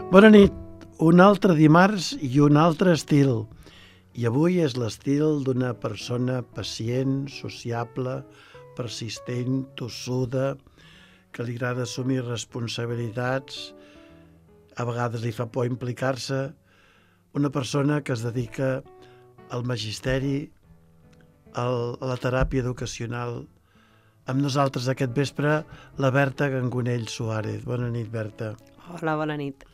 Bona nit, un altre dimarts i un altre estil. I avui és l'estil d'una persona pacient, sociable, persistent, tossuda, que li agrada assumir responsabilitats, a vegades li fa por implicar-se, una persona que es dedica al magisteri, a la teràpia educacional. Amb nosaltres aquest vespre, la Berta Gangonell Suárez. Bona nit, Berta. Hola, bona nit.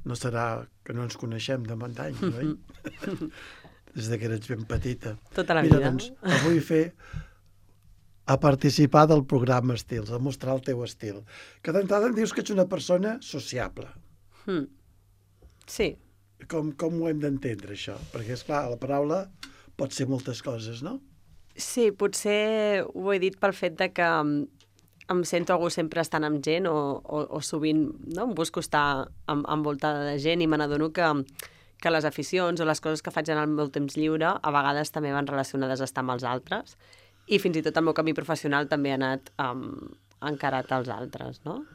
No serà que no ens coneixem de molt anys, oi? Des que eres ben petita. Tota la vida. Mira, doncs, avui a participar del programa Estils, a mostrar el teu estil. Que d'entrada em dius que ets una persona sociable. Sí. Com ho hem d'entendre, això? Perquè, esclar, la paraula pot ser moltes coses, no? Sí, potser ho he dit pel fet de que em sento a gust sempre estant amb gent o sovint no? Em busco estar envoltada de gent i me n'adono que les aficions o les coses que faig en el meu temps lliure a vegades també van relacionades a estar amb els altres i fins i tot el meu camí professional també ha anat encarat als altres, no?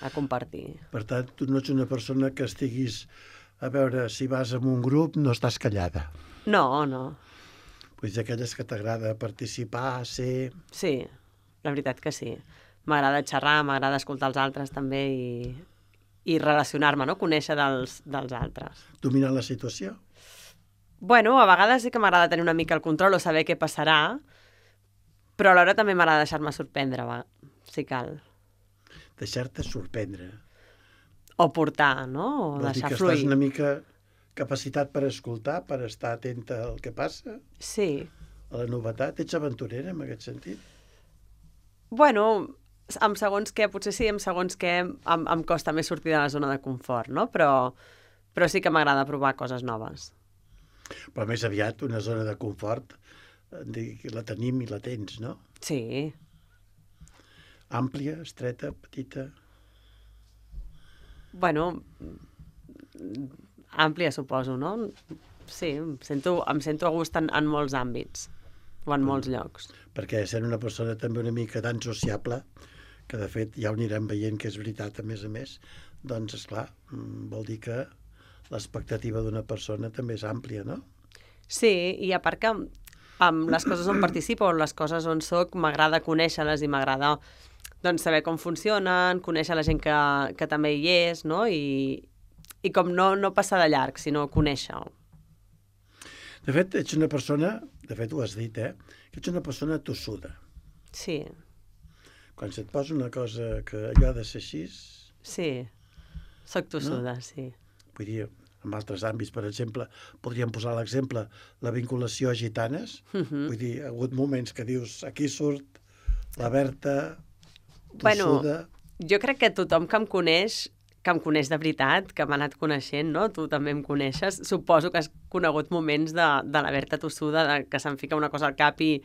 A compartir. Per tant, tu no ets una persona que estiguis a veure si vas en un grup, no estàs callada. No, no. Vull dir, aquelles que t'agrada participar, ser... Sí, la veritat que sí. M'agrada xerrar, m'agrada escoltar els altres també i relacionar-me, no? Conèixer dels altres. Dominar la situació? Bueno, a vegades sí que m'agrada tenir una mica el control o saber què passarà, però alhora també m'agrada deixar-me sorprendre, si cal. Deixar-te sorprendre. O portar, no? O vol deixar dir que fluir. estàs una mica capacitat per escoltar, per estar atenta al que passa? Sí. A la novetat? Ets aventurera, en aquest sentit? Bueno, amb segons què, potser sí, amb segons què em costa més sortir de la zona de confort, no? Però sí que m'agrada provar coses noves. Però més aviat una zona de confort la tenim i la tens, no? Sí. Àmplia, estreta, petita... Bueno, àmplia, suposo, no? Sí, em sento a gust en molts àmbits o en molts llocs. Perquè sent una persona també una mica tan sociable, que de fet ja ho anirem veient que és veritat a més, doncs, esclar, vol dir que l'expectativa d'una persona també és àmplia, no? Sí, i a part que amb les coses on participo o les coses on soc m'agrada conèixer-les i m'agrada doncs, saber com funcionen, conèixer la gent que també hi és, no? I com no passar de llarg, sinó conèixer-ho. De fet, ets una persona, de fet ho has dit, que ets una persona tossuda. Sí. Quan se't posa una cosa que allò ha de ser així... Sí, soc tossuda, no? Sí. Vull dir, en altres àmbits, per exemple, podríem posar l'exemple, la vinculació a gitanes. Vull dir, ha hagut moments que dius, aquí surt la Berta... tossuda. Bueno, jo crec que tothom que em coneix de veritat, que m'ha anat coneixent, no? Tu també em coneixes, suposo que has conegut moments de la Berta tossuda, que se'm fica una cosa al cap i,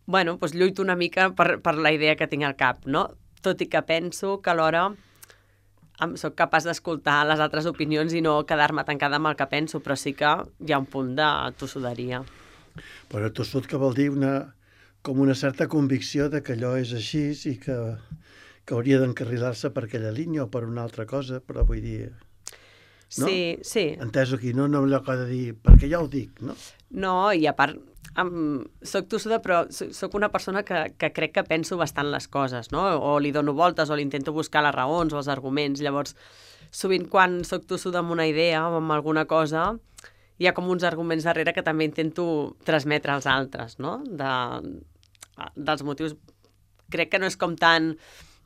bueno, doncs lluito una mica per la idea que tinc al cap, no? Tot i que penso que alhora soc capaç d'escoltar les altres opinions i no quedar-me tancada amb el que penso, però sí que hi ha un punt de tossuderia. Però tossut que vol dir com una certa convicció de que allò és així i que hauria d'encarrilar-se per aquella línia o per una altra cosa, però vull dir... No? Sí, sí. Enteso aquí, no allò que ha de dir, perquè ja ho dic, no? No, i a part, soc tossuda, però soc una persona que crec que penso bastant les coses, no? O li dono voltes o li intento buscar les raons o els arguments. Llavors, sovint quan soc tossuda amb una idea o amb alguna cosa, hi ha com uns arguments darrere que també intento transmetre als altres, no? Dels motius, crec que no és com tan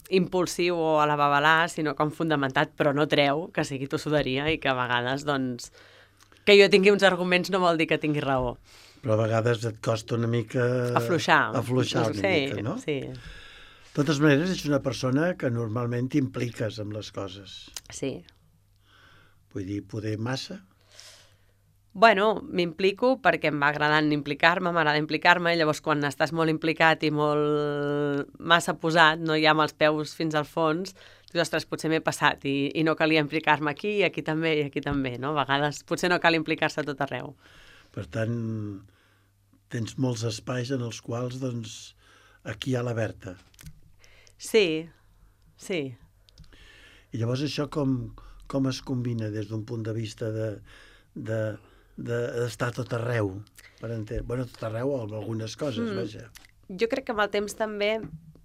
impulsiu o a la babalà, sinó com fundamentat, però no treu que sigui tossuderia i que a vegades, doncs, que jo tingui uns arguments no vol dir que tingui raó. Però a vegades et costa una mica... Afluixar una mica, no? Sí. De totes maneres, ets una persona que normalment t'impliques amb les coses. Sí. Vull dir, poder massa... Bueno, m'implico perquè em va agradant implicar-me, m'agrada implicar-me, i llavors quan estàs molt implicat i molt massa posat, no hi ha amb els peus fins al fons, dius, ostres, potser m'he passat i no calia implicar-me aquí i aquí també, no? A vegades potser no cal implicar-se a tot arreu. Per tant, tens molts espais en els quals, doncs, aquí hi ha la Berta. Sí, sí. I llavors això com com es combina des d'un punt de vista d'estar tot arreu, per entendre. Bueno, tot arreu o algunes coses, vaja. Jo crec que amb el temps també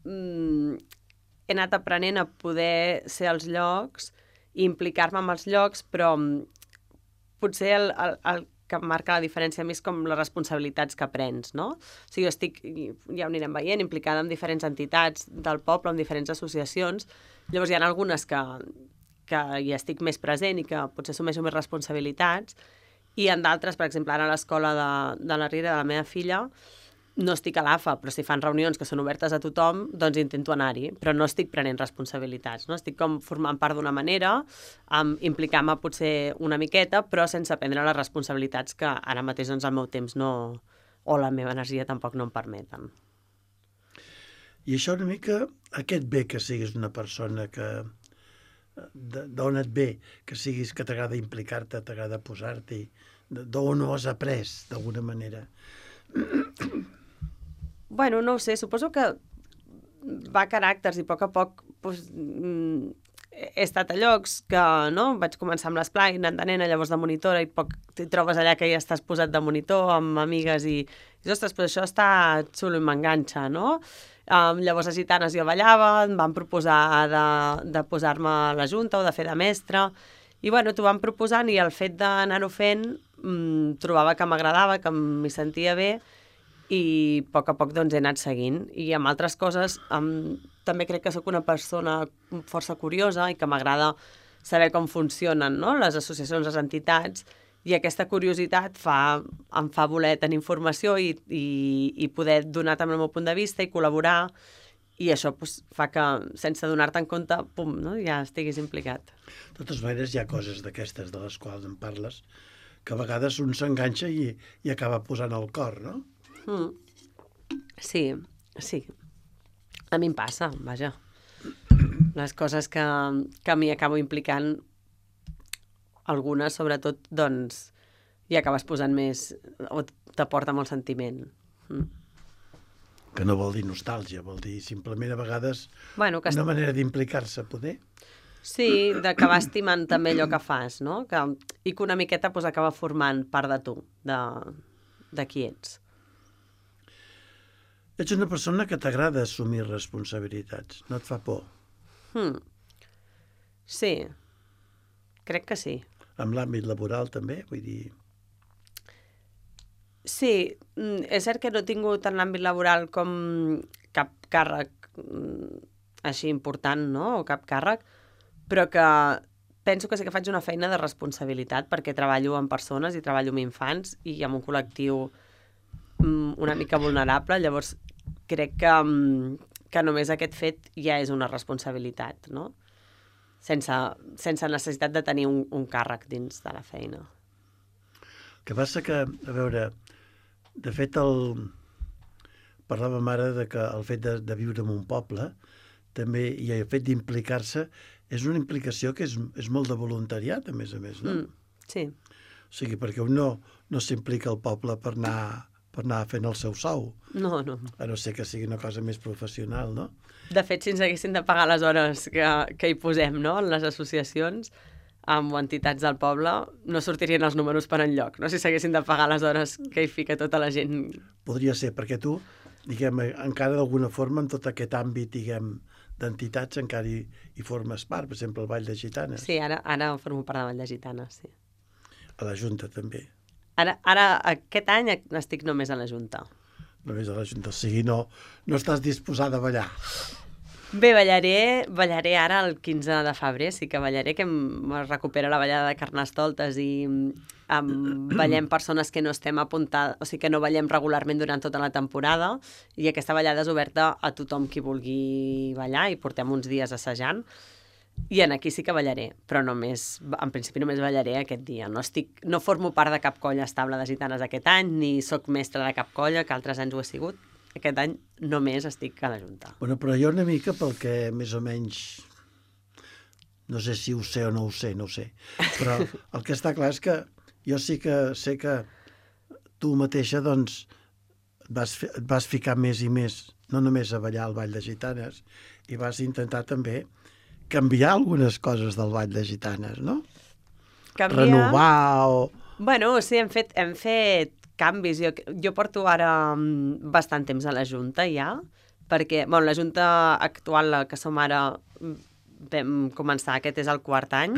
he anat aprenent a poder ser als llocs i implicar-me amb els llocs, però potser el que marca la diferència a mi és com les responsabilitats que prens, no? O sigui, jo estic, ja ho anirem veient, implicada en diferents entitats del poble, en diferents associacions. Llavors hi ha algunes que hi estic més present i que potser assumeixo més responsabilitats, i en d'altres, per exemple, ara a l'escola de la Riera, de la meva filla, no estic a l'AFA, però si fan reunions que són obertes a tothom, doncs intento anar-hi, però no estic prenent responsabilitats, no? Estic com formant part d'una manera, implicant-me potser una miqueta, però sense prendre les responsabilitats que ara mateix doncs, el meu temps no, o la meva energia tampoc no em permeten. I això una mica, aquest bé que siguis una persona que d'on et ve, que siguis que t'agrada implicar-te, t'agrada posar-t'hi, d'on ho has après, d'alguna manera. Bueno, no ho sé, suposo que va a caràcters i a poc doncs, he estat a llocs que no, vaig començar amb l'esplai, anant de nena, llavors de monitora, i poc t'hi trobes allà que ja estàs posat de monitor amb amigues i ostres, però això està xulo i m'enganxa, no? Llavors a Gitanes jo ballava, em van proposar de posar-me a la junta o de fer de mestra, i bueno, t'ho van proposant i el fet d'anar-ho fent trobava que m'agradava, que m'hi sentia bé, i a poc doncs he anat seguint. I amb altres coses també crec que sóc una persona força curiosa i que m'agrada saber com funcionen, no? Les associacions, les entitats, i aquesta curiositat em fa voler tenir informació i poder donar també el meu punt de vista i col·laborar, i això doncs, fa que, sense donar-te en compte, pum, no? Ja estiguis implicat. De totes maneres, hi ha coses d'aquestes de les quals en parles que a vegades un s'enganxa i acaba posant el cor, no? Sí. A mi em passa, vaja. Les coses que a mi acabo implicant, algunes, sobretot, doncs, hi acabes posant més, o t'aporta molt sentiment. Que no vol dir nostàlgia, vol dir simplement a vegades una manera d'implicar-se, poder. Sí, d'acabar estimant també allò que fas, no? I que una miqueta doncs, acaba formant part de tu, de qui ets. Ets una persona que t'agrada assumir responsabilitats, no et fa por? Sí, crec que sí. En l'àmbit laboral també, vull dir... Sí, és cert que no he tingut en l'àmbit laboral com cap càrrec així important, no?, o cap càrrec, però que penso que sí que faig una feina de responsabilitat perquè treballo amb persones i treballo amb infants i amb un col·lectiu una mica vulnerable, llavors crec que només aquest fet ja és una responsabilitat, no? Sense necessitat de tenir un càrrec dins de la feina. El que passa que, a veure, de fet parlàvem ara que el fet de viure en un poble també, i el fet d'implicar-se, és una implicació que és molt de voluntariat, a més, no? Sí. O sigui, perquè un no s'implica al poble per anar fent el seu sou. No. A no ser que sigui una cosa més professional, no? De fet, si ens haguessin de pagar les hores que hi posem, no?, en les associacions o entitats del poble, no sortirien els números per enlloc, no?, si s'haguessin de pagar les hores que hi fica tota la gent. Podria ser, perquè tu, diguem, encara d'alguna forma, en tot aquest àmbit, diguem, d'entitats, encara hi formes part, per exemple, el Ball de Gitanes. Sí, ara formo part del Ball de Gitanes, sí. A la Junta, també. Ara, aquest any, estic només a la Junta. Només a la Junta, o sigui, no estàs disposada a ballar. Bé, ballaré ara el 15 de febrer, sí que ballaré, que em recupera la ballada de Carnestoltes i ballem persones que no estem apuntades, o sigui que no ballem regularment durant tota la temporada, i aquesta ballada és oberta a tothom qui vulgui ballar, i portem uns dies assajant, i aquí sí que ballaré, però en principi només ballaré aquest dia. No formo part de cap colla estable de gitanes aquest any, ni sóc mestra de cap colla, que altres anys ho he sigut. Aquest any només estic a la Junta. Bueno, però jo una mica, pel que més o menys... No sé si ho sé o no ho sé, però el que està clar és que jo sí que sé que tu mateixa, doncs, et vas ficar més i més, no només a ballar al Ball de Gitanes, i vas intentar també canviar algunes coses del Ball de Gitanes, no? Canviar... Renovar o... Bueno, sí, hem fet canvis. Jo porto ara bastant temps a la Junta ja, perquè la Junta actual, la que som ara, vam començar, aquest és el 4º any,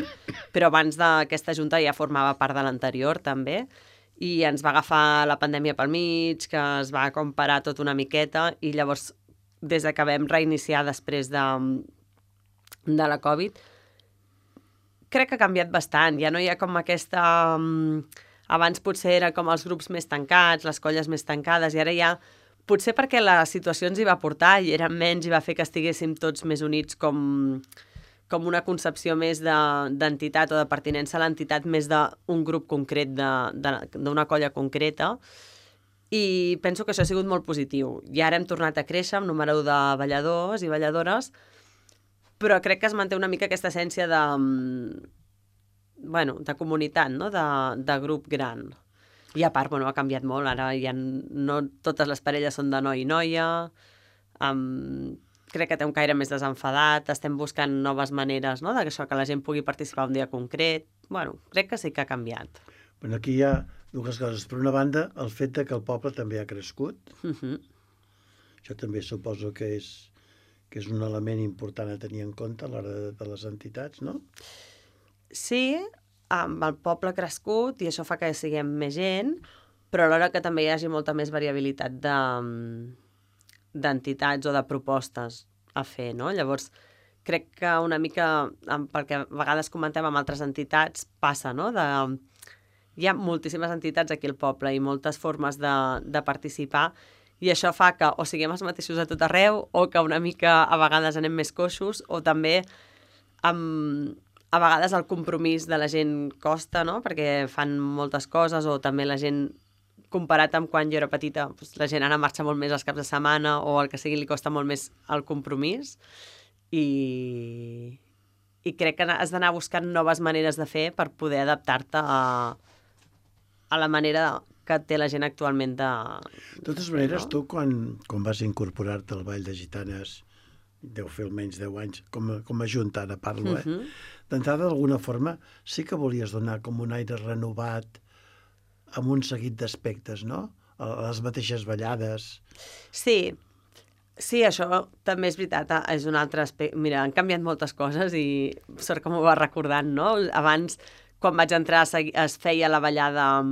però abans d'aquesta Junta ja formava part de l'anterior també, i ens va agafar la pandèmia pel mig, que es va comparar tot una miqueta, i llavors, des que vam reiniciar després de la Covid, crec que ha canviat bastant. Ja no hi ha com aquesta... Abans potser era com els grups més tancats, les colles més tancades, i ara ja... Potser perquè la situació ens hi va portar i eren menys i va fer que estiguéssim tots més units com una concepció més d'entitat o de pertinença a l'entitat més d'un grup concret, d'una colla concreta. I penso que això ha sigut molt positiu. I ara hem tornat a créixer amb número de balladors i balladores, però crec que es manté una mica aquesta essència de comunitat, no? De grup gran. I a part, ha canviat molt. Ara ja no totes les parelles són de noi i noia. Crec que té un caire més desenfadat. Estem buscant noves maneres, no? Que la gent pugui participar un dia concret. Crec que sí que ha canviat. Aquí hi ha dues coses. Per una banda, el fet que el poble també ha crescut. Això també suposo que és un element important a tenir en compte a l'hora de les entitats, no? Sí, el poble ha crescut i això fa que siguem més gent, però alhora que també hi hagi molta més variabilitat d'entitats o de propostes a fer, no? Llavors, crec que una mica, pel que a vegades comentem amb altres entitats, passa, no? Hi ha moltíssimes entitats aquí al poble i moltes formes de participar, i això fa que o siguem els mateixos a tot arreu o que una mica a vegades anem més coixos, o també a vegades el compromís de la gent costa, no? Perquè fan moltes coses, o també la gent, comparat amb quan jo era petita, la gent ara marxa molt més els caps de setmana o el que sigui, li costa molt més el compromís, i crec que has d'anar buscant noves maneres de fer per poder adaptar-te a la manera que té la gent actualment de totes maneres, tu quan vas incorporar-te al Ball de Gitanes, deu fer almenys 10 anys, com a junta, ara parlo, d'entrada, d'alguna forma, sí que volies donar com un aire renovat amb un seguit d'aspectes, no? A les mateixes ballades. Sí, això també és veritat, és un altre aspecte. Mira, han canviat moltes coses i sort que m'ho va recordant, no? Abans, quan vaig entrar, es feia la ballada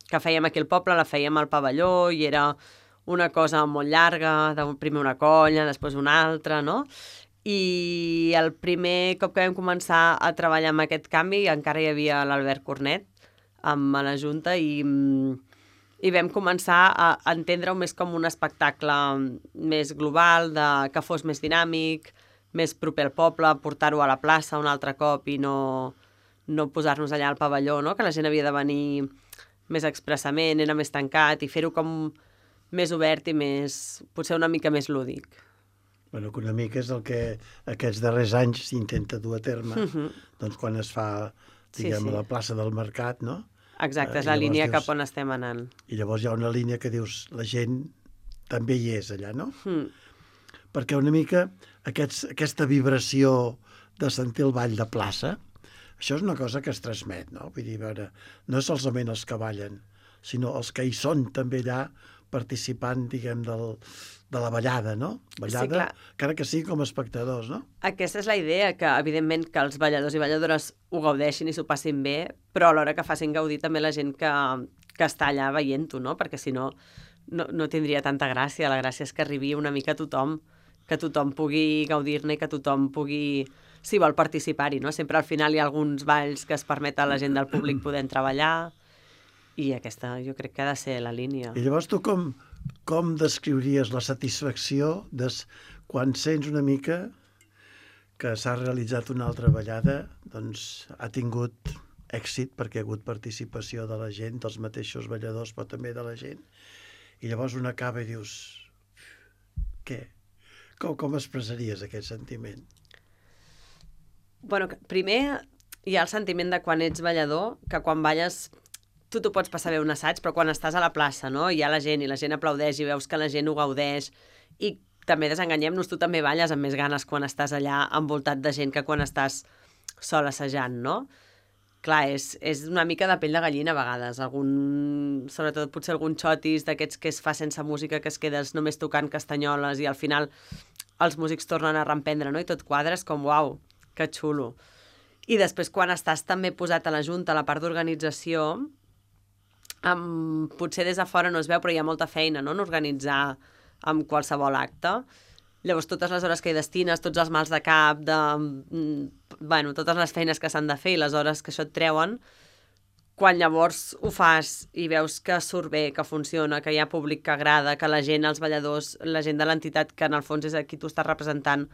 que fèiem aquí al poble, la fèiem al pavelló i era una cosa molt llarga, primer una colla, després una altra, no? I el primer cop que vam començar a treballar amb aquest canvi encara hi havia l'Albert Cornet a la Junta i vam començar a entendre-ho més com un espectacle més global, que fos més dinàmic, més proper al poble, portar-ho a la plaça un altre cop i no posar-nos allà al pavelló, no? Que la gent havia de venir més expressament, era més tancat, i fer-ho com més obert i potser una mica més lúdic. Que una mica és el que aquests darrers anys s'intenta dur a terme, doncs quan es fa, diguem, a la plaça del Mercat, no? Exacte, és la línia cap on estem anant. I llavors hi ha una línia que dius, la gent també hi és allà, no? Perquè una mica aquesta vibració de sentir el ball de plaça, això és una cosa que es transmet, no? Vull dir, no és solament els que ballen, sinó els que hi són també allà participant, diguem, de la ballada, no? Ballada, encara que sigui com a espectadors, no? Aquesta és la idea, que evidentment que els balladors i balladores ho gaudeixin i s'ho passin bé, però alhora que facin gaudir també la gent que està allà veient-ho, no? Perquè si no, no tindria tanta gràcia. La gràcia és que arribi una mica a tothom, que tothom pugui gaudir-ne i que tothom pugui, si vol, participar-hi, no? Sempre al final hi ha alguns balls que es permet a la gent del públic poder treballar, i aquesta jo crec que ha de ser la línia. I llavors tu com descriuries la satisfacció quan sents una mica que s'ha realitzat una altra ballada, doncs ha tingut èxit perquè ha hagut participació de la gent, dels mateixos balladors, però també de la gent, i llavors un acaba i dius, què? Com expressaries aquest sentiment? Primer hi ha el sentiment de quan ets ballador, que quan balles tu t'ho pots passar bé un assaig, però quan estàs a la plaça, no? Hi ha la gent i la gent aplaudeix i veus que la gent ho gaudeix i també desenganyem-nos, tu també balles amb més ganes quan estàs allà envoltat de gent que quan estàs sol assajant, no? Clar, és una mica de pell de gallina a vegades, sobretot potser algun xotis d'aquests que es fa sense música, que es quedes només tocant castanyoles i al final els músics tornen a reemprendre, no? I tot quadra, és com, uau, que xulo. I després quan estàs també posat a la junta, a la part d'organització, potser des de fora no es veu, però hi ha molta feina, no?, en organitzar amb qualsevol acte. Llavors, totes les hores que hi destines, tots els mals de cap, totes les feines que s'han de fer i les hores que això et treuen, quan llavors ho fas i veus que surt bé, que funciona, que hi ha públic que agrada, que la gent, els balladors, la gent de l'entitat, que en el fons és a qui tu estàs representant,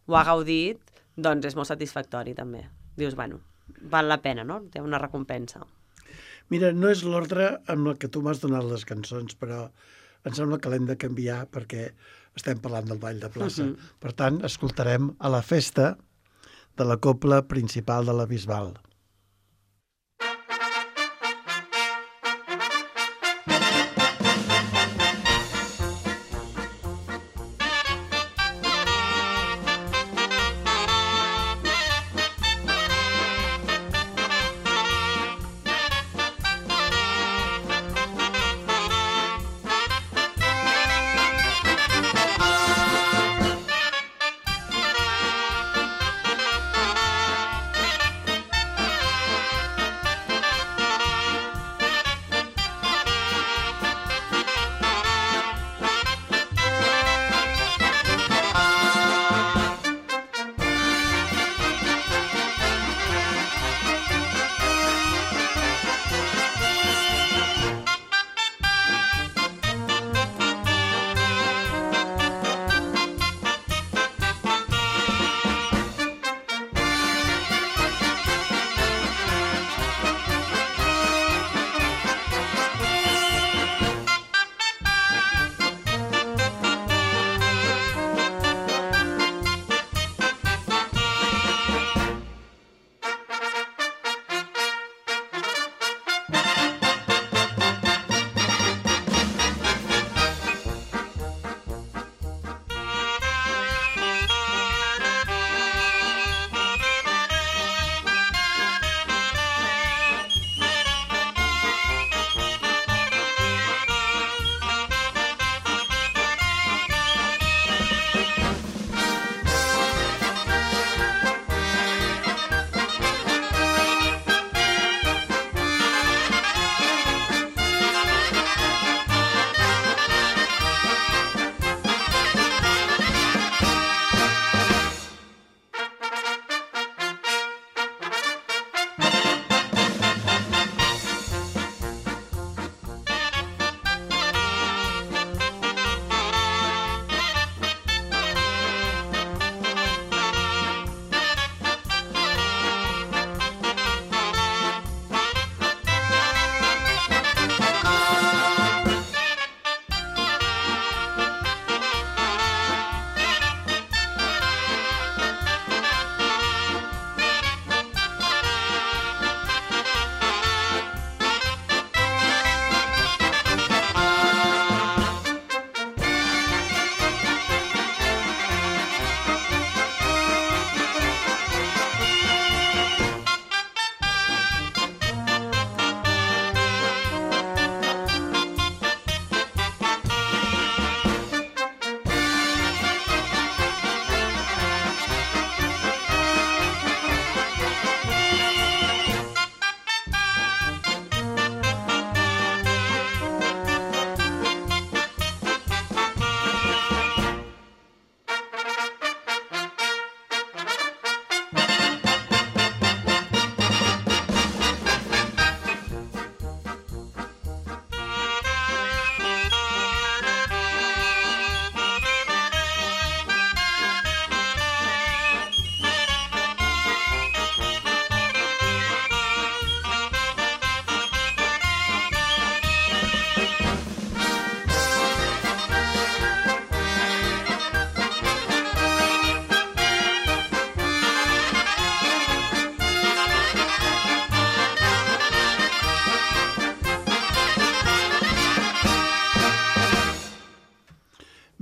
ho ha gaudit, doncs és molt satisfactori també. Dius, val la pena, no? Té una recompensa. Mira, no és l'ordre amb el que tu m'has donat les cançons, però em sembla que l'hem de canviar perquè estem parlant del ball de plaça. Per tant, escoltarem a la festa de la cobla principal de la Bisbal.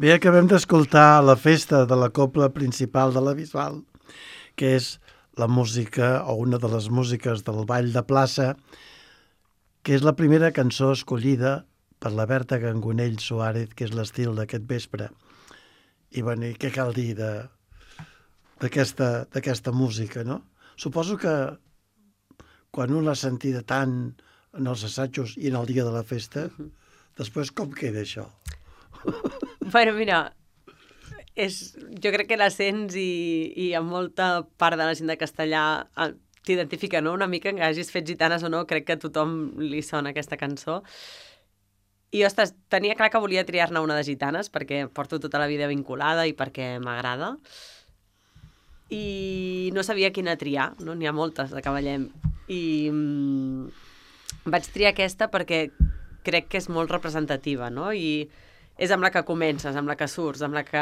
Bé, acabem d'escoltar la festa de la cobla principal de la Bisbal, que és la música o una de les músiques del Ball de Plaça, que és la primera cançó escollida per la Berta Gangonell Suárez, que és l'estil d'aquest vespre. I, bueno, i què cal dir d'aquesta música, no? Suposo que quan un l'ha sentida tant en els assajos i en el dia de la festa, després com queda això? Bueno, mira, jo crec que la sents i en molta part de la gent de castellà t'identifica, no? Una mica que hagis fet gitanes o no, crec que a tothom li sona aquesta cançó. I, ostres, tenia clar que volia triar-ne una de gitanes perquè porto tota la vida vinculada i perquè m'agrada. I no sabia quina triar, no? N'hi ha moltes de Cavallem. I vaig triar aquesta perquè crec que és molt representativa, no? I és amb la que comences, amb la que surts, amb la que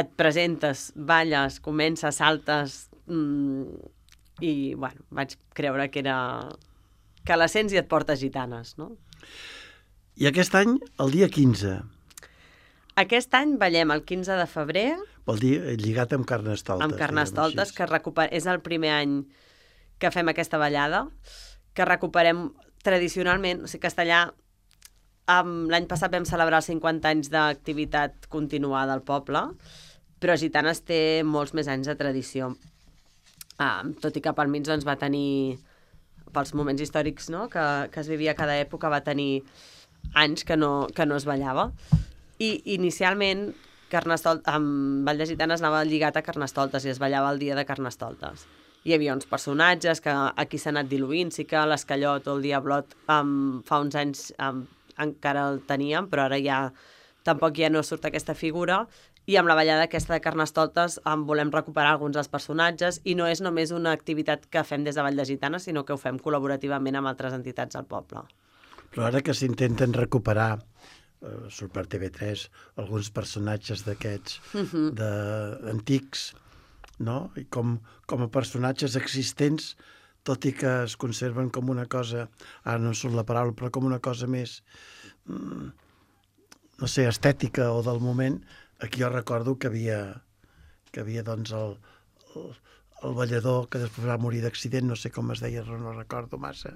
et presentes, balles, comences, saltes, i, bueno, vaig creure que la sents i et porta gitanes, no? I aquest any, el dia 15. Aquest any ballem el 15 de febrer. Vol dir lligat amb Carnestoltes. Amb Carnestoltes, que és el primer any que fem aquesta ballada, que recuperem tradicionalment, o sigui, Castellà, l'any passat vam celebrar els 50 anys d'activitat continuada al poble, però Gitanes té molts més anys de tradició. Tot i que pel mig doncs, va tenir, pels moments històrics, no?, que es vivia a cada època, va tenir anys que no es ballava. I inicialment amb Ball de Gitanes anava lligat a Carnestoltes i es ballava el dia de Carnestoltes. Hi havia uns personatges que aquí s'ha anat diluint, sí que l'Escallot o el Diablot fa uns anys encara el teníem, però ara ja tampoc ja no surt aquesta figura, i amb la ballada aquesta de Carnestoltes volem recuperar alguns dels personatges, i no és només una activitat que fem des de Ball de Gitanes, sinó que ho fem col·laborativament amb altres entitats del poble. Però ara que s'intenten recuperar, surt per TV3, alguns personatges d'aquests antics, no? I com a personatges existents, tot i que es conserven com una cosa, ara no em surt la paraula, però com una cosa més, no sé, estètica o del moment. Aquí jo recordo que havia doncs el ballador que després va morir d'accident, no sé com es deia, no recordo massa,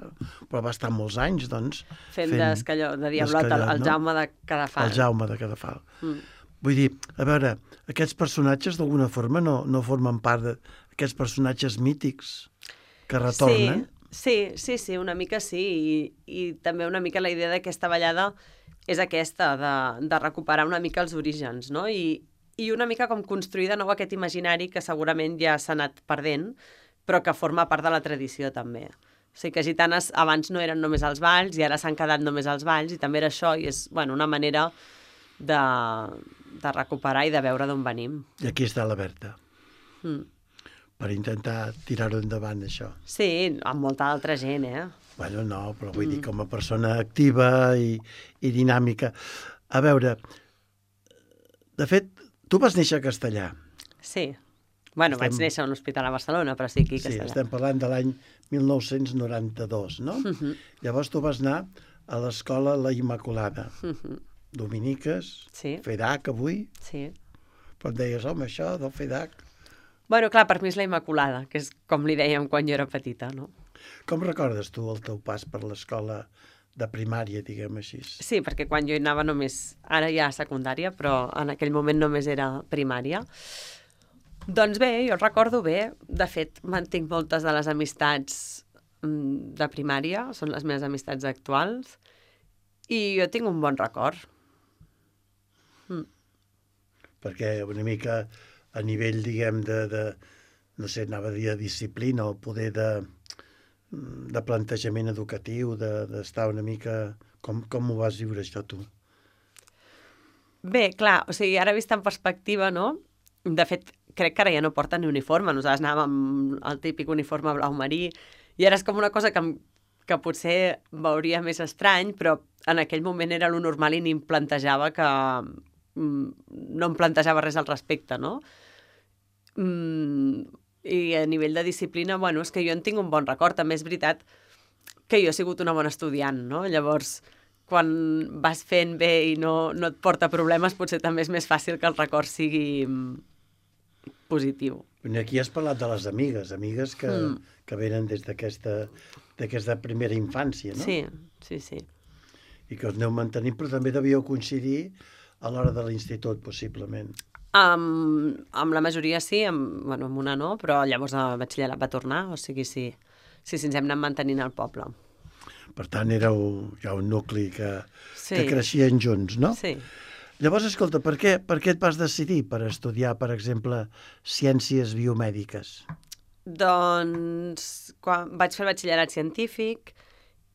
però va estar molts anys, doncs... Fent de Diablot, el Jaume de Cadafal. El Jaume de Cadafal. Vull dir, a veure, aquests personatges d'alguna forma no formen part d'aquests personatges mítics que retornen? Sí, una mica sí, i també una mica la idea d'aquesta ballada és aquesta, de recuperar una mica els orígens, no? I una mica com construir de nou aquest imaginari que segurament ja s'ha anat perdent, però que forma part de la tradició també. O sigui que Gitanes abans no eren només els balls i ara s'han quedat només els balls, i també era això, i és una manera de recuperar i de veure d'on venim. I aquí està la Berta, per intentar tirar-ho endavant, això. Sí, amb molta altra gent, Bueno, no, però vull dir, com a persona activa i dinàmica. A veure, de fet, tu vas néixer a Castellà. Sí. Bueno, vaig néixer a un hospital a Barcelona, però sí, aquí a Castellà. Sí, estem parlant de l'any 1992, no? Llavors tu vas anar a l'escola La Immaculada. Dominiques, FEDAC avui. Sí. Però et deies, home, això del FEDAC... Bueno, clar, per mi és la Immaculada, que és com li dèiem quan jo era petita, no? Com recordes tu el teu pas per l'escola de primària, diguem així? Sí, perquè quan jo hi anava només... Ara ja secundària, però en aquell moment només era primària. Doncs bé, jo el recordo bé. De fet, mantinc moltes de les amistats de primària, són les meves amistats actuals, i jo tinc un bon record. Perquè una mica a nivell, diguem, no sé, anava a dir de disciplina o poder de plantejament educatiu, d'estar una mica... Com ho vas viure, això, tu? Bé, clar, o sigui, ara vist en perspectiva, no? De fet, crec que ara ja no porten ni uniforme. Nosaltres anàvem amb el típic uniforme blau marí i ara és com una cosa que potser veuria més estrany, però en aquell moment era lo normal i ni em plantejava no em plantejava res al respecte, no? I a nivell de disciplina, bueno, és que jo en tinc un bon record. També és veritat que jo he sigut una bona estudiant, no? Llavors, quan vas fent bé i no et porta problemes, potser també és més fàcil que el record sigui positiu. Aquí has parlat de les amigues que venen des d'aquesta primera infància, no? Sí. I que us aneu mantenint, però també devíeu coincidir a l'hora de l'institut, possiblement. Amb la majoria sí, amb una no, però llavors a batxillerat va tornar, o sigui, sí, ens hem anat mantenint al poble. Per tant, éreu ja un nucli que creixien junts, no? Sí. Llavors, escolta, per què et vas decidir per estudiar, per exemple, ciències biomèdiques? Doncs quan vaig fer el batxillerat científic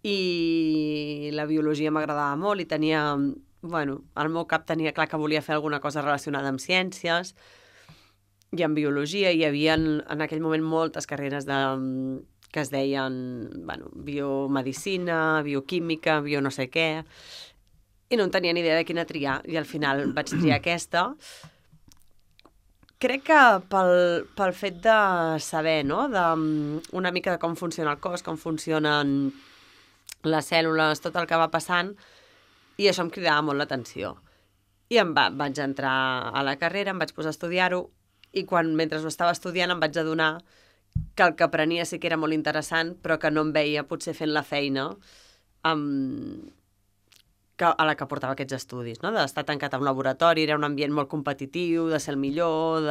i la biologia m'agradava molt i tenia, al meu cap tenia clar que volia fer alguna cosa relacionada amb ciències i amb biologia. Hi havia en aquell moment moltes carreres que es deien biomedicina, bioquímica, bio no sé què, i no en tenia ni idea de quina triar, i al final vaig triar aquesta. Crec que pel fet de saber, no?, una mica de com funciona el cos, com funcionen les cèl·lules, tot el que va passant, i això em cridava molt l'atenció. I vaig entrar a la carrera, em vaig posar a estudiar-ho, i mentre ho estava estudiant em vaig adonar que el que aprenia sí que era molt interessant, però que no em veia potser fent la feina a la que portava aquests estudis, no? D'estar tancat a un laboratori, era un ambient molt competitiu, de ser el millor,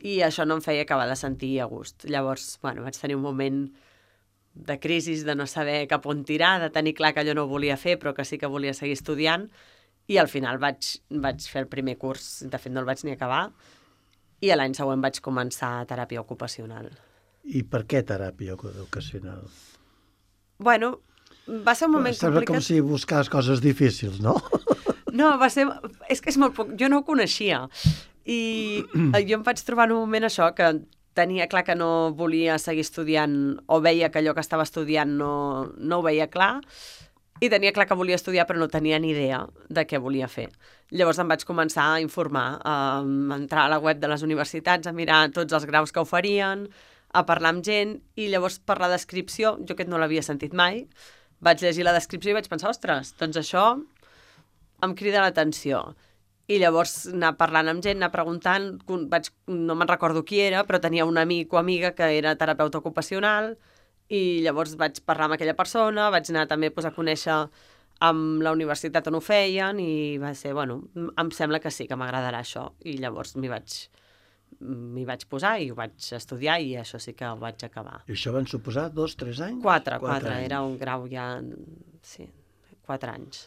i això no em feia acabar de sentir a gust. Llavors, vaig tenir un moment de crisi, de no saber cap on tirar, de tenir clar que allò no ho volia fer, però que sí que volia seguir estudiant, i al final vaig fer el primer curs, de fet no el vaig ni acabar, i l'any següent vaig començar teràpia ocupacional. I per què teràpia ocupacional? Va ser un moment complicat. Sembla com si buscaves coses difícils, no? No, és que és molt poc. Jo no ho coneixia. I jo em vaig trobar en un moment això, que tenia clar que no volia seguir estudiant, o veia que allò que estava estudiant no ho veia clar, i tenia clar que volia estudiar però no tenia ni idea de què volia fer. Llavors em vaig començar a informar, a entrar a la web de les universitats, a mirar tots els graus que oferien, a parlar amb gent, i llavors per la descripció, jo aquest no l'havia sentit mai, vaig llegir la descripció i vaig pensar, ostres, doncs això em crida l'atenció. I llavors anar parlant amb gent, anar preguntant, no me'n recordo qui era, però tenia un amic o amiga que era terapeuta ocupacional, i llavors vaig parlar amb aquella persona, vaig anar també a conèixer amb la universitat on ho feien, i va ser, em sembla que sí, que m'agradarà això. I llavors m'hi vaig posar i ho vaig estudiar, i això sí que ho vaig acabar. I això van suposar 2, 3 anys? 4, era un grau ja, sí, 4 anys.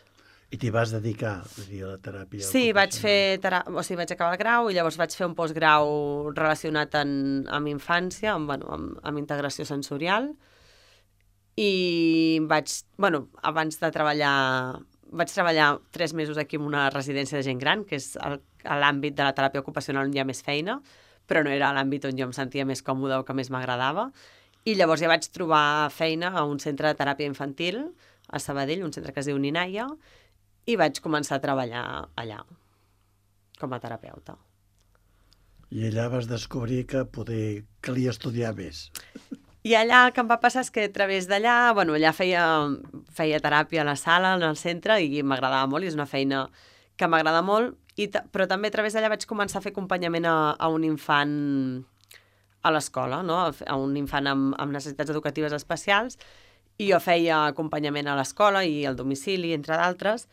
I t'hi vas dedicar, a la teràpia? Sí, vaig acabar el grau, i llavors vaig fer un postgrau relacionat amb infància, amb integració sensorial, i abans de treballar, vaig treballar 3 mesos aquí en una residència de gent gran, que és l'àmbit de la teràpia ocupacional on hi ha més feina, però no era l'àmbit on jo em sentia més còmoda o que més m'agradava, i llavors ja vaig trobar feina a un centre de teràpia infantil a Sabadell, un centre que es diu Ninaia, i vaig començar a treballar allà com a terapeuta. I allà vas descobrir que calia estudiar més. I allà el que em va passar és que a través d'allà, allà feia teràpia a la sala, en el centre, i m'agradava molt, i és una feina que m'agrada molt, però també a través d'allà vaig començar a fer acompanyament a un infant a l'escola, no? A un infant amb necessitats educatives especials, i jo feia acompanyament a l'escola i al domicili, entre d'altres,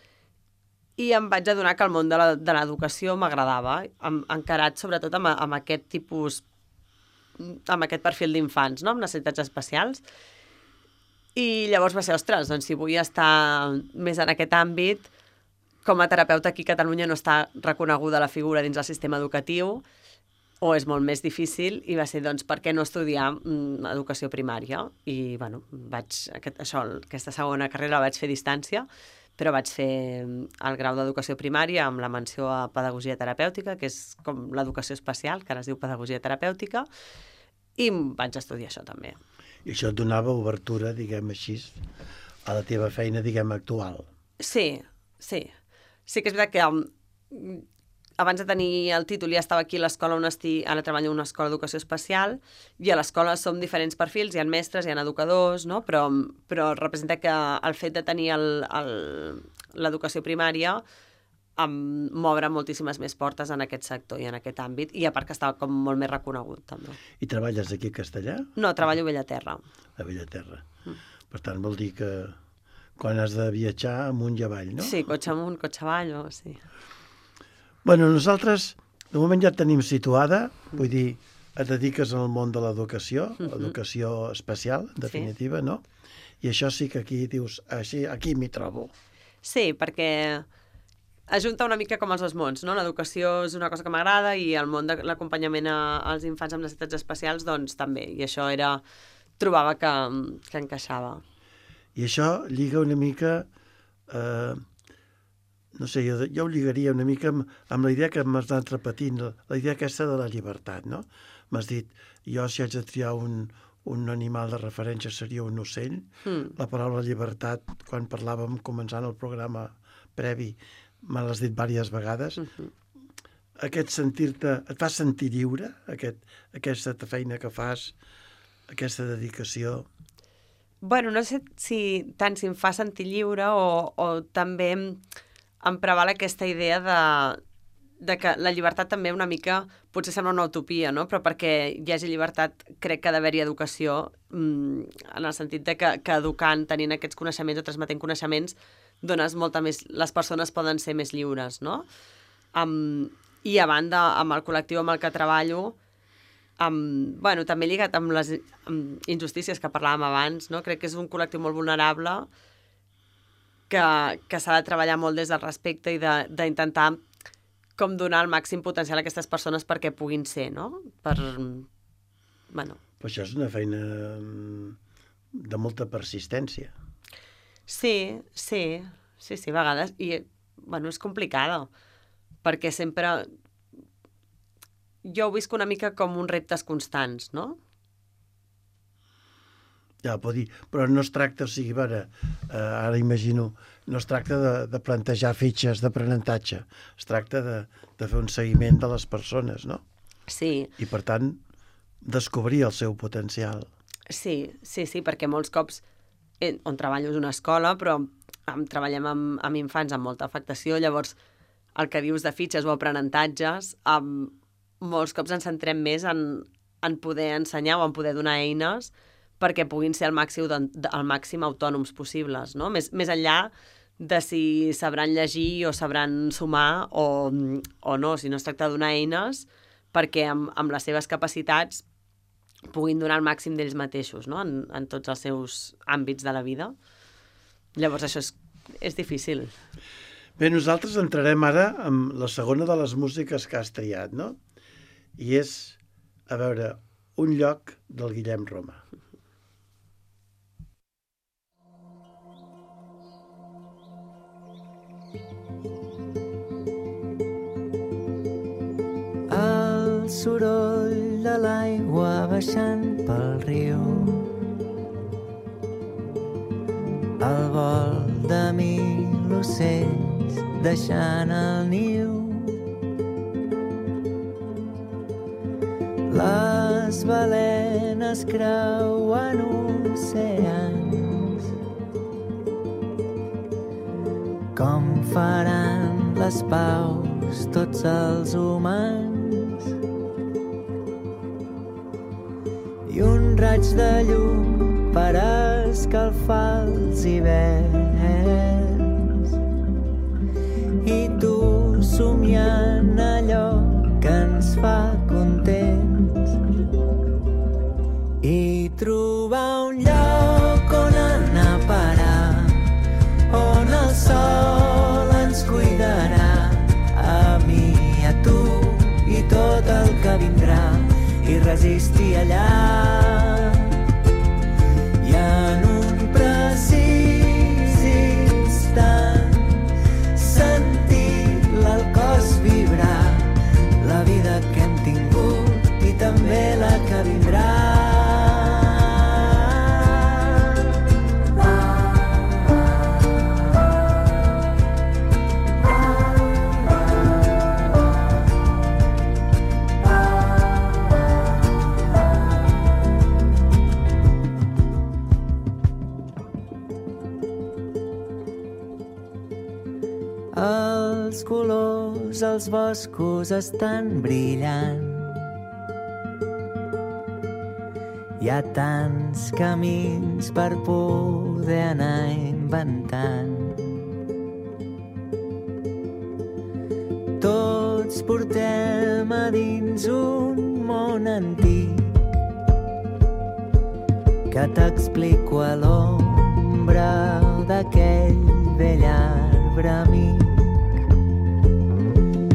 i em vaig adonar que el món de l'educació m'agradava, encarat sobretot amb aquest tipus, amb aquest perfil d'infants, no?, amb necessitats especials. I llavors va ser, ostres, doncs si vull estar més en aquest àmbit, com a terapeuta aquí a Catalunya no està reconeguda la figura dins el sistema educatiu, o és molt més difícil, i va ser, doncs, per què no estudiar educació primària? I, aquesta segona carrera la vaig fer a distància, però vaig fer el grau d'educació primària amb la menció a pedagogia terapèutica, que és com l'educació especial, que ara es diu pedagogia terapèutica, i vaig estudiar això també. I això et donava obertura, diguem així, a la teva feina, diguem, actual. Sí. Sí que és veritat que abans de tenir el títol ja estava aquí a l'escola on estic, ara treballo en una escola d'educació especial, i a l'escola som diferents perfils, hi ha mestres, hi ha educadors, no? Però representa que el fet de tenir l'educació primària m'obre moltíssimes més portes en aquest sector i en aquest àmbit, i a part que estava com molt més reconegut, també. I treballes aquí a Castellà? No, treballo a Bellaterra. A Bellaterra. Per tant, vol dir que quan has de viatjar amunt i avall, no? Sí, cotxe amunt, cotxe avall, sí. Bueno, nosaltres de moment ja et tenim situada, vull dir, et dediques al món de l'educació, l'educació especial, en definitiva, no? I això sí que aquí dius, així, aquí m'hi trobo. Sí, perquè ajunta una mica com els dos mons, no? L'educació és una cosa que m'agrada i el món de l'acompanyament als infants amb necessitats especials, doncs també. I això trobava que encaixava. I això lliga una mica, no sé, jo ho lligaria una mica amb la idea que m'has anat repetint, la idea aquesta de la llibertat, no? M'has dit, jo si haig de triar un animal de referència seria un ocell. La paraula llibertat, quan parlàvem començant el programa previ, me l'has dit diverses vegades. Aquest sentir-te, et fa sentir lliure, aquesta feina que fas, aquesta dedicació? Bueno, no sé tant si em fa sentir lliure o també em preval aquesta idea de que la llibertat també una mica, potser sembla una utopia, no? Però perquè hi hagi llibertat crec que ha d'haver-hi educació, en el sentit de que educant, tenint aquests coneixements o transmetent coneixements, dones molta més... Les persones poden ser més lliures, no? I a banda, amb el col·lectiu amb el que treballo, bueno, també lligat amb les injustícies que parlàvem abans, no? Crec que és un col·lectiu molt vulnerable que s'ha de treballar molt des del respecte i d'intentar com donar el màxim potencial a aquestes persones perquè puguin ser, no? Bueno. Però això és una feina de molta persistència. Sí, a vegades. I, bueno, és complicada, perquè sempre... Jo ho visc una mica com uns reptes constants, no? Ja, pot dir, però no es tracta, o sigui, ara imagino, no es tracta de plantejar fitxes d'aprenentatge, es tracta de fer un seguiment de les persones, no? Sí. I, per tant, descobrir el seu potencial. Sí, perquè molts cops on treballo és una escola, però treballem amb infants amb molta afectació, llavors el que dius de fitxes o aprenentatges, molts cops ens centrem més en poder ensenyar o en poder donar eines perquè puguin ser el màxim autònoms possibles, no? Més enllà de si sabran llegir o sabran sumar o no, si no es tracta de donar eines perquè amb les seves capacitats puguin donar el màxim d'ells mateixos, no? En tots els seus àmbits de la vida. Llavors això és difícil. Bé, nosaltres entrarem ara amb la segona de les músiques que has triat, no? I és, a veure, Un lloc del Guillem Roma. El soroll de l'aigua baixant pel riu, el vol de mil ocells deixant el niu, les balenes creuen oceans, com faran les paus tots els humans, i un raig de llum per escalfar els hiverns, i tu somiant allò que ens fa contents, i trobar un lloc on anar a parar, on el sol ens cuidarà, a mi i a tu i tot el que vindrà, i resistir allà. I en un precís instant sentir el cos vibrar, la vida que hem tingut i també la que vindrà. Els colors, els boscos estan brillant. Hi ha tants camins per poder anar inventant. Tots portem a dins un món antic que t'explico a l'ombra d'aquell vell arbre amic.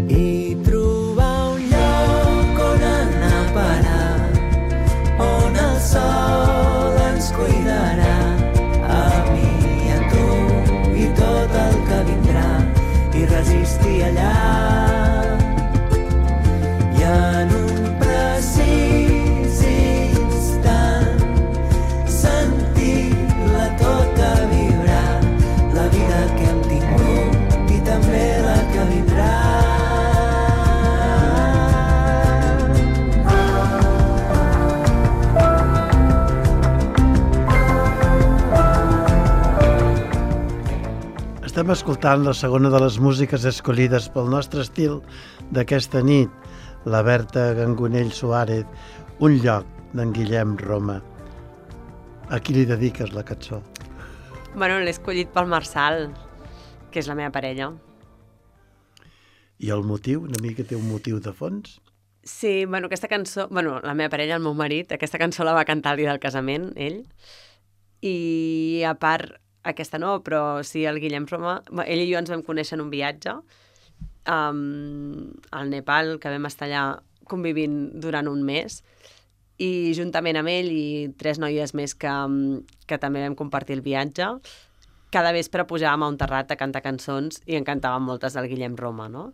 I trobar un lloc on anar a parar, on el sol ens cuidarà, a mi i a tu i tot el que vindrà, i resistir allà. I en un precís instant sentir-la tota vibrar, la vida que hem tingut i també la que vindrà. Estem escoltant la segona de les músiques escollides pel nostre estil d'aquesta nit, la Berta Gangonell Suárez, Un lloc, d'en Guillem Roma. A qui li dediques la cançó? Bueno, l'he escollit pel Marçal, que és la meva parella. I el motiu? Una mica té un motiu de fons? Sí, bueno, aquesta cançó... Bueno, la meva parella, el meu marit, aquesta cançó la va cantar el dia del casament, ell. I a part, aquesta no, però sí, el Guillem Roma... Ell i jo ens vam conèixer en un viatge al Nepal, que vam estar allà convivint durant un mes, i juntament amb ell i 3 noies més que també vam compartir el viatge, cada vespre pujàvem a un terrat a cantar cançons i en cantàvem moltes del Guillem Roma, no?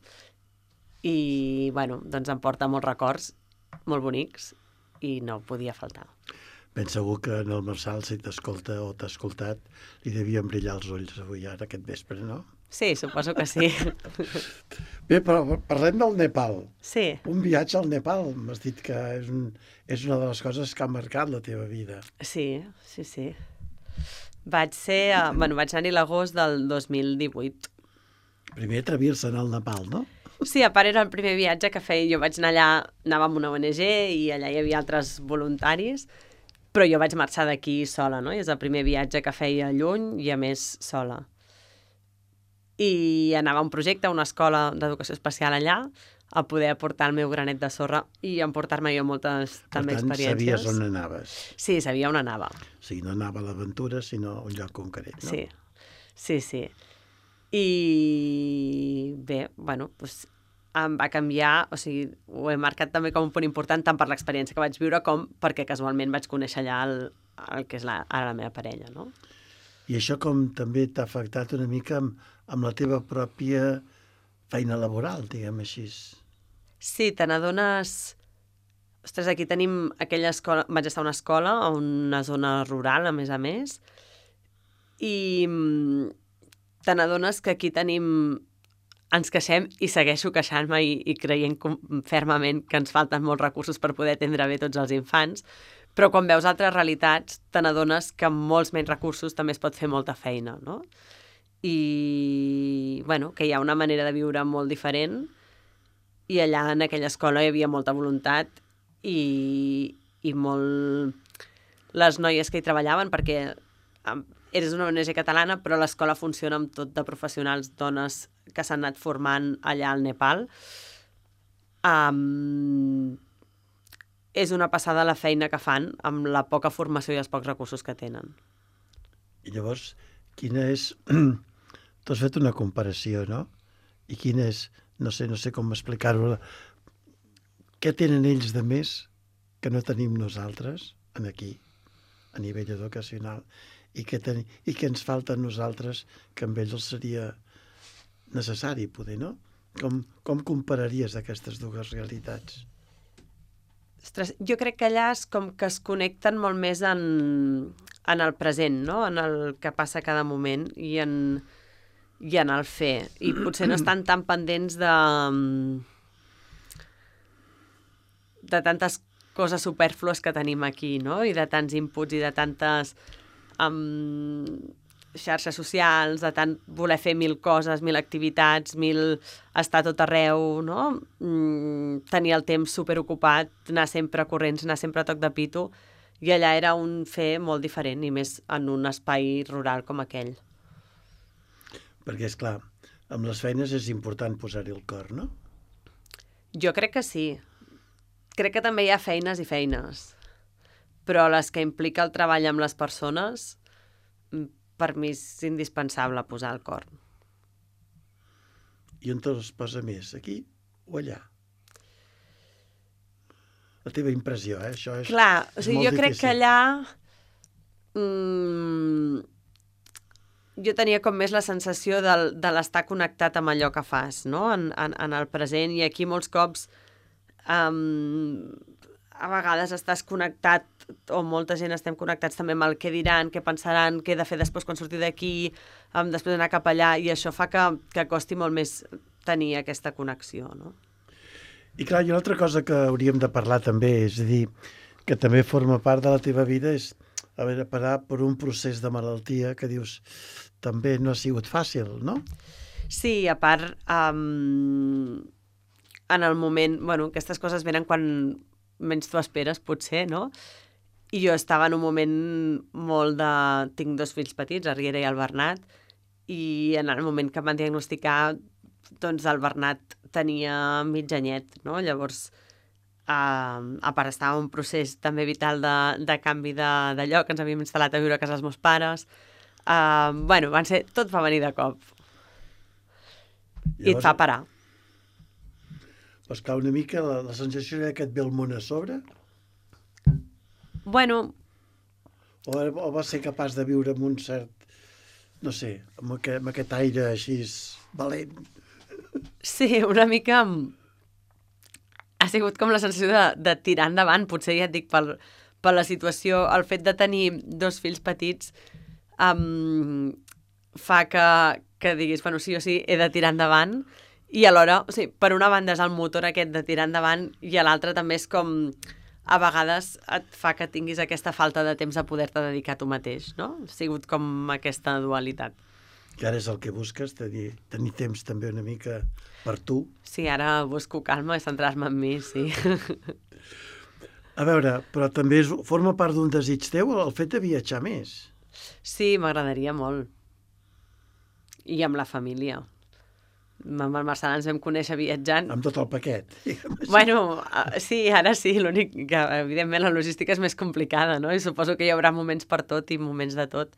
I, bueno, doncs em porta molts records molt bonics i no podia faltar. Ben segur que en el Marçal, si t'escolta o t'ha escoltat, li devien brillar els ulls avui, ara, aquest vespre, no? Sí, suposo que sí. Bé, però parlem del Nepal. Sí. Un viatge al Nepal, m'has dit que és una de les coses que ha marcat la teva vida. Sí, sí, sí. Vaig anar-hi l'agost del 2018. Primer atrevir-se al Nepal, no? Sí, a part era el primer viatge que feia. Jo vaig anar allà, anava amb una ONG i allà hi havia altres voluntaris, però jo vaig marxar d'aquí sola, no? I és el primer viatge que feia lluny i a més sola. I anava a un projecte, a una escola d'educació especial allà, a poder aportar el meu granet de sorra i emportar-me jo moltes també experiències. Per tant, sabies on anaves. Sí, sabia on anava. O sigui, no anava a l'aventura, sinó a un lloc concret, no? Sí, sí, sí. I bé, bueno, doncs em va canviar, o sigui, ho he marcat també com un punt important tant per l'experiència que vaig viure com perquè casualment vaig conèixer allà el que és ara la meva parella, no? I això com també t'ha afectat una mica amb la teva pròpia feina laboral, diguem així. Sí, te n'adones... Ostres, aquí tenim aquella escola... Vaig estar a una escola, a una zona rural, a més, i te n'adones que aquí tenim... Ens queixem i segueixo queixant-me i creient fermament que ens falten molts recursos per poder atendre bé tots els infants, però quan veus altres realitats te n'adones que amb molts menys recursos també es pot fer molta feina, no? I, bueno, que hi ha una manera de viure molt diferent i allà en aquella escola hi havia molta voluntat i molt... Les noies que hi treballaven, perquè eres una ONG catalana, però l'escola funciona amb tot de professionals, dones que s'han anat formant allà al Nepal. És una passada la feina que fan amb la poca formació i els pocs recursos que tenen. I llavors, quina és... Tu has fet una comparació, no? I quina és... No sé com explicar-ho. Què tenen ells de més que no tenim nosaltres aquí, a nivell educacional? I què ens falta a nosaltres que amb ells seria necessari poder, no? Com compararies aquestes dues realitats? Ostres, jo crec que allà és com que es connecten molt més en el present, no? En el que passa a cada moment i en el fer. I potser no estan tan pendents de tantes coses superflues que tenim aquí, no? I de tants inputs i de tantes xarxes socials, de tant voler fer 1000 coses, 1000 activitats, 1000 estar a tot arreu, no? Tenir el temps superocupat, anar sempre corrents, anar sempre a toc de pito, i allà era un fer molt diferent, i més en un espai rural com aquell. Perquè, és clar, amb les feines és important posar-hi el cor, no? Jo crec que sí. Crec que també hi ha feines i feines, però les que implica el treball amb les persones, per mi és indispensable posar el cor. I on te'ls posa més, aquí o allà? La teva impressió, això és, clar, o és sigui, molt jo crec difícil. que allà jo tenia com més la sensació de l'estar connectat amb allò que fas, no? En el present, i aquí molts cops a vegades estàs connectat, o molta gent estem connectats també amb el què diran, què pensaran, què he de fer després quan surti d'aquí, després d'anar cap allà, i això fa que costi molt més tenir aquesta connexió, no? I clar, i una altra cosa que hauríem de parlar també, és a dir, que també forma part de la teva vida, és haver de parar per un procés de malaltia que dius, també no ha sigut fàcil, no? Sí, a part, en el moment, bueno, aquestes coses venen quan menys t'ho esperes, potser, no? I jo estava en un moment molt de... Tinc 2 fills petits, el Riera i el Bernat, i en el moment que em van diagnosticar, doncs el Bernat tenia mig anyet, no? Llavors, a part estava en un procés també vital de canvi de lloc, ens havíem instal·lat a viure a casa dels meus pares. Bueno, tot va venir de cop. I et fa parar. Doncs clar, una mica la sensació era que et ve el món a sobre? Bueno... O vas ser capaç de viure amb un cert, no sé, amb aquest aire així valent? Sí, una mica... Ha sigut com la sensació de tirar endavant, potser ja et dic, per la situació, el fet de tenir 2 fills petits fa que diguis, bueno, sí o sí, he de tirar endavant, i alhora, o sigui, per una banda és el motor aquest de tirar endavant, i a l'altra també és com, a vegades et fa que tinguis aquesta falta de temps de poder-te dedicar a tu mateix, no? Ha sigut com aquesta dualitat. Que ara és el que busques, tenir temps també una mica per tu. Sí, ara busco calma i centrar-me en mi, sí. A veure, però també forma part d'un desig teu el fet de viatjar més. Sí, m'agradaria molt. I amb la família. Amb el Marçal ens vam conèixer viatjant. Amb tot el paquet. Bueno, sí, ara sí, l'únic que, evidentment, la logística és més complicada, no? I suposo que hi haurà moments per tot i moments de tot.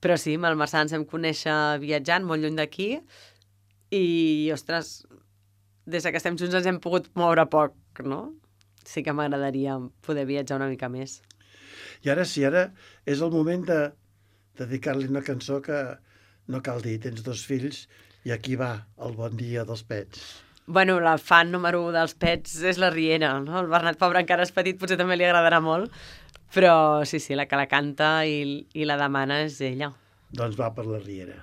Però sí, amb el Marçal ens vam conèixer viatjant molt lluny d'aquí i, ostres, des que estem junts ens hem pogut moure poc, no? Sí que m'agradaria poder viatjar una mica més. I ara sí, ara és el moment de dedicar-li una cançó que no cal dir, tens 2 fills i aquí va el bon dia dels pets. Bueno, la fan número 1 dels pets és la Riera, no? El Bernat, pobre, encara és petit, potser també li agradarà molt, però sí, la que la canta i la demana és ella. Doncs va per la Riera.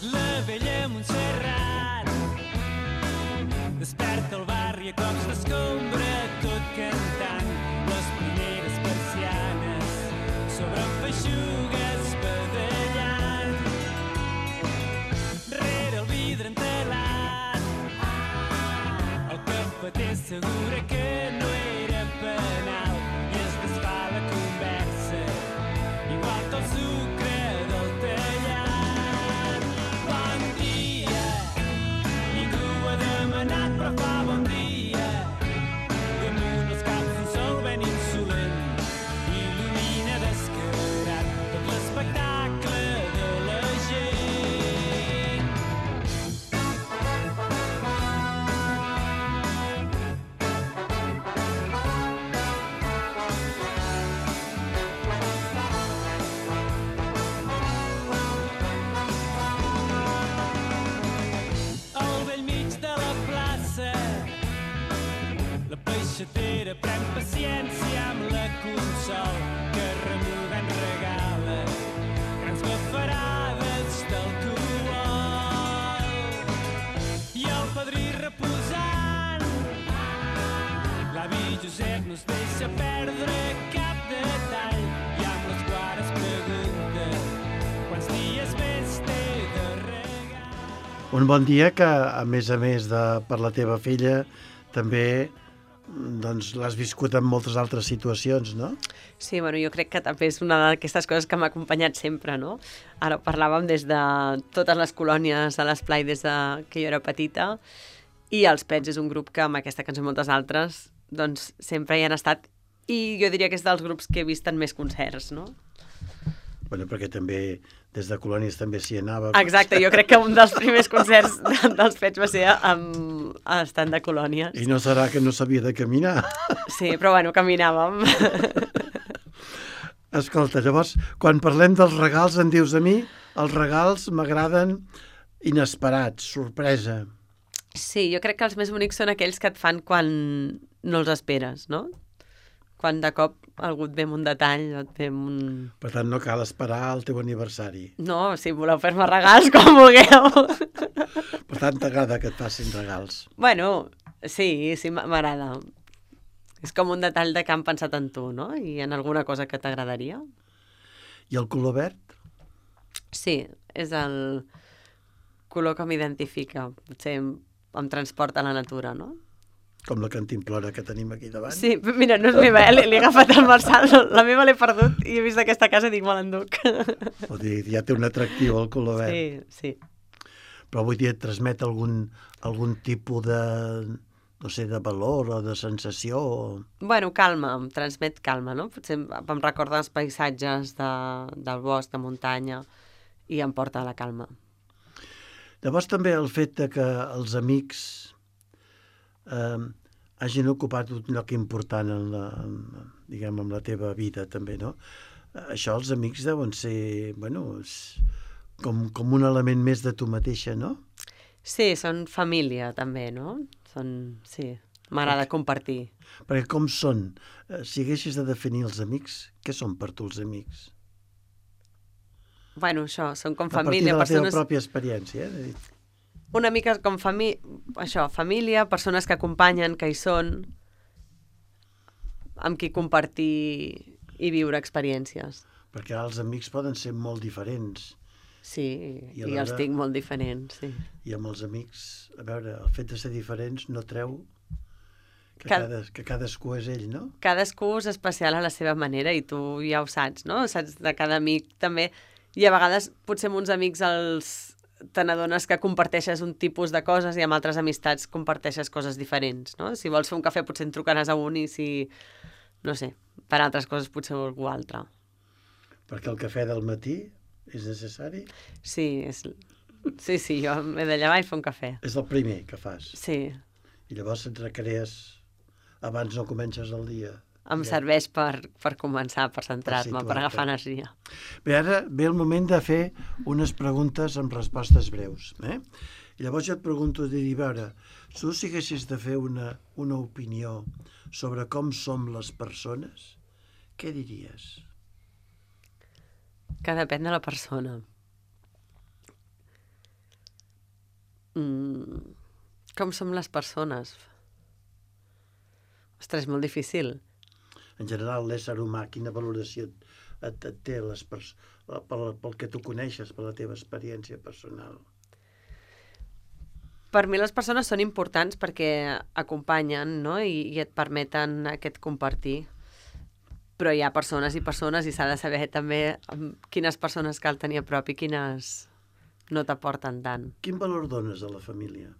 La vella Montserrat desperta el barri a cops d'escombra, tot cantant les primeres persianes sobre feixugues badallant. Rere el vidre entelat el cafeter assegura que no era penal i es desfà la conversa igual que el sucre del tallat. Bon dia, ningú ha demanat però fa bon dia. Damunt els caps un sol ben insolent il·lumina descarat tot Un bon dia que, a més de per la teva filla, també doncs, l'has viscut en moltes altres situacions, no? Sí, bueno, jo crec que també és una d'aquestes coses que m'ha acompanyat sempre, no? Ara parlàvem des de totes les colònies a l'Esplai des de que jo era petita, i els Pets és un grup que amb aquesta cançó i moltes altres doncs sempre hi han estat, i jo diria que és dels grups que he vist en més concerts, no? Bueno, perquè també des de colònies també s'hi anava. Exacte, jo crec que un dels primers concerts dels Pets va ser a estant de colònies. I no serà que no sabia de caminar? Sí, però bueno, caminàvem. Escolta, llavors, quan parlem dels regals, em dius a mi, els regals m'agraden inesperats, sorpresa. Sí, jo crec que els més bonics són aquells que et fan quan no els esperes, no? Quan de cop algú et ve amb un detall o et ve amb un... Per tant, no cal esperar el teu aniversari. No, si voleu fer-me regals, com vulgueu. Per tant, t'agrada que et facin regals. Bueno, sí, m'agrada. És com un detall de que han pensat en tu, no? I en alguna cosa que t'agradaria. I el color verd? Sí, és el color que m'identifica. Potser em transporta a la natura, no? Com la cantimplora que tenim aquí davant. Sí, mira, no és meva, l'he agafat al Marçal, la meva l'he perdut i he vist aquesta casa i dic, me l'enduc. Vol dir, ja té un atractiu el color verd. Sí. Però vull dir, et transmet algun tipus de, no sé, de valor o de sensació. Bueno, calma, em transmet calma, no? Potser em recorda els paisatges del bosc, de muntanya, i em porta a la calma. Llavors també el fet de que els amics hagin ocupat un lloc important en la teva vida també, no? Això els amics deuen ser, bueno, com un element més de tu mateixa, no? Sí, són família també, no? Sí, m'agrada compartir. Perquè com són? Si haguessis de definir els amics, què són per tu els amics? Bueno, això, són com A partir família, de la persones... teva pròpia experiència, Una mica com família, persones que acompanyen, que hi són, amb qui compartir i viure experiències. Perquè els amics poden ser molt diferents. Sí, i els tinc molt diferents, sí. I amb els amics, a veure, el fet de ser diferents no treu que cadascú és ell, no? Cadascú és especial a la seva manera i tu ja ho saps, no? Saps de cada amic també. I a vegades potser amb uns amics te n'adones que comparteixes un tipus de coses i amb altres amistats comparteixes coses diferents, no? Si vols fer un cafè potser en trucaràs a un i si, no sé, per altres coses potser algú altre. Perquè el cafè del matí és necessari? Sí, jo m'he de llevar i fer un cafè. És el primer que fas? Sí. I llavors et recrees abans no comences el dia? Em serveix per començar, per centrar-me, per agafar energia. Bé, ara ve el moment de fer unes preguntes amb respostes breus. I llavors jo et pregunto, a veure, tu si haguessis de fer una opinió sobre com som les persones, què diries? Que depèn de la persona. Com som les persones? Ostres, molt difícil. En general, l'ésser humà, quina valoració et té pel que tu coneixes, per la teva experiència personal? Per mi les persones són importants perquè acompanyen, no? I et permeten aquest compartir. Però hi ha persones i s'ha de saber també quines persones cal tenir a prop i quines no t'aporten tant. Quin valor dones a la família?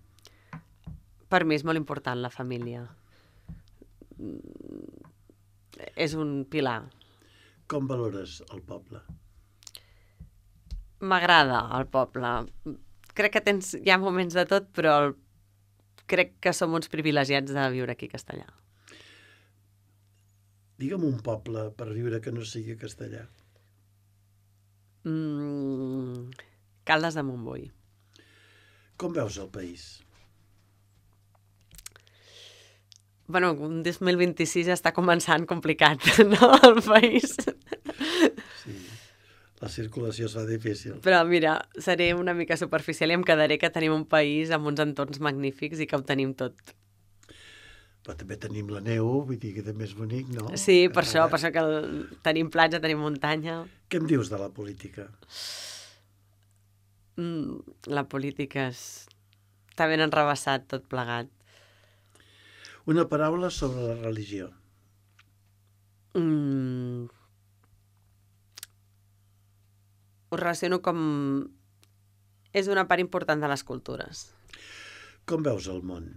Per mi és molt important la família. És un pilar. Com valores el poble? M'agrada el poble. Crec que hi ha moments de tot, però crec que som uns privilegiats de viure aquí a Castellà. Digue'm un poble per viure que no sigui castellà. Caldes de Montbui. Com veus el país? Bueno, un 2026 està començant complicat, no?, el país. Sí, la circulació es fa difícil. Però mira, seré una mica superficial i em quedaré que tenim un país amb uns entorns magnífics i que ho tenim tot. Però també tenim la neu, vull dir que també és bonic, no? Sí, per això que tenim platja, tenim muntanya. Què em dius de la política? La política està ben enrevessat tot plegat. Una paraula sobre la religió. Ho relaciono com... És una part important de les cultures. Com veus el món?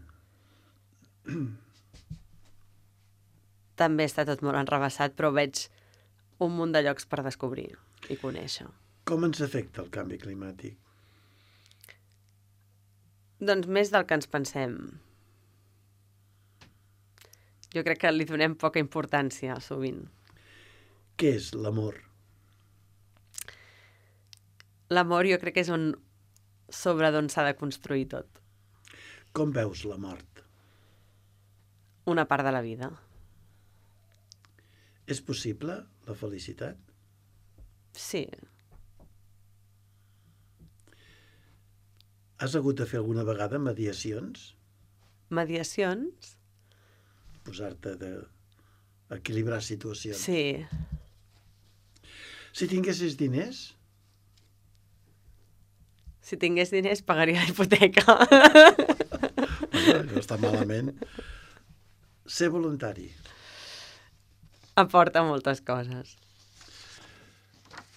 També està tot molt enrevessat, però veig un munt de llocs per descobrir i conèixer. Com ens afecta el canvi climàtic? Doncs més del que ens pensem. Jo crec que li donem poca importància, sovint. Què és l'amor? L'amor jo crec que és sobre d'on s'ha de construir tot. Com veus la mort? Una part de la vida. És possible la felicitat? Sí. Has hagut de fer alguna vegada mediacions? Mediacions? Posar-te d'equilibrar situacions. Sí. Si tinguessis diners, Si tingués diners, pagaria la hipoteca. no està malament. Ser voluntari. Aporta moltes coses.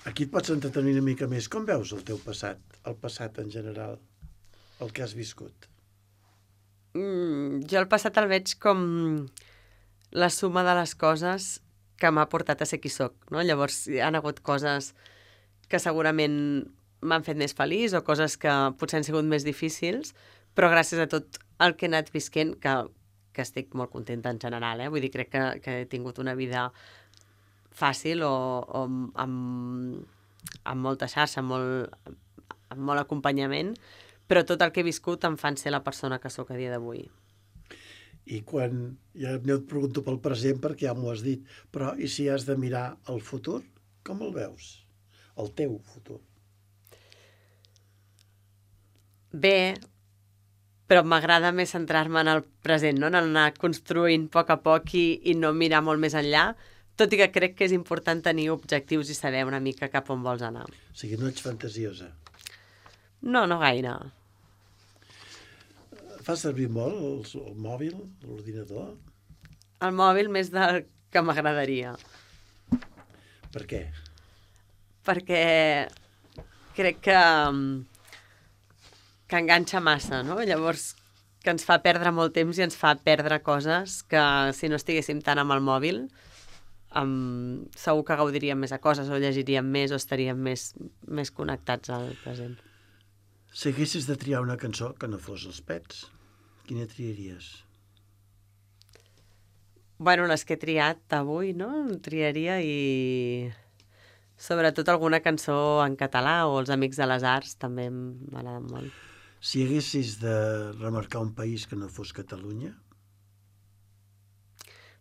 Aquí et pots entretenir una mica més. Com veus el teu passat? El passat en general? El que has viscut? Jo el passat el veig com la suma de les coses que m'ha portat a ser qui soc, no? Llavors hi ha hagut coses que segurament m'han fet més feliç o coses que potser han sigut més difícils, però gràcies a tot el que he anat visquent, que estic molt contenta en general, Vull dir, crec que he tingut una vida fàcil o amb molta xarxa, amb molt acompanyament, però tot el que he viscut em fan ser la persona que sóc a dia d'avui. I quan... Ja no et pregunto pel present perquè ja m'ho has dit, però i si has de mirar el futur, com el veus? El teu futur. Bé, però m'agrada més centrar-me en el present, no? En anar construint a poc i no mirar molt més enllà, tot i que crec que és important tenir objectius i saber una mica cap on vols anar. O sigui, no ets fantasiosa. No gaire. Fas servir molt el mòbil, l'ordinador? El mòbil més del que m'agradaria. Per què? Perquè crec que enganxa massa, no? Llavors, que ens fa perdre molt temps i ens fa perdre coses que si no estiguéssim tant amb el mòbil segur que gaudiríem més de coses o llegiríem més o estaríem més connectats al present. Si haguessis de triar una cançó que no fos els Pets, quina triaries? Bueno, les que he triat avui, no? Triaria i sobretot alguna cançó en català o Els Amics de les Arts també m'agraden molt. Si haguessis de remarcar un país que no fos Catalunya?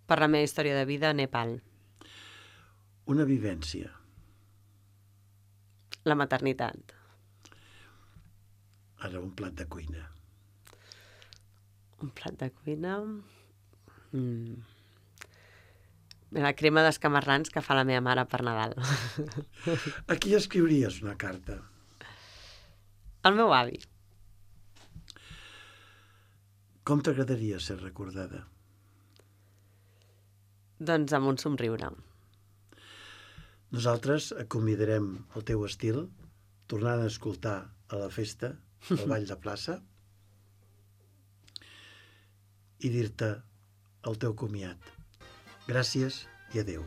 Per la meva història de vida, Nepal. Una vivència? La maternitat. Ara, un plat de cuina. Un plat de cuina... La crema d'escamarrans que fa la meva mare per Nadal. A qui escriuries una carta? El meu avi. Com t'agradaria ser recordada? Doncs amb un somriure. Nosaltres convidarem el teu estil, tornant a escoltar a la festa, al ball de plaça, i dir-te el teu comiat. Gràcies i adéu.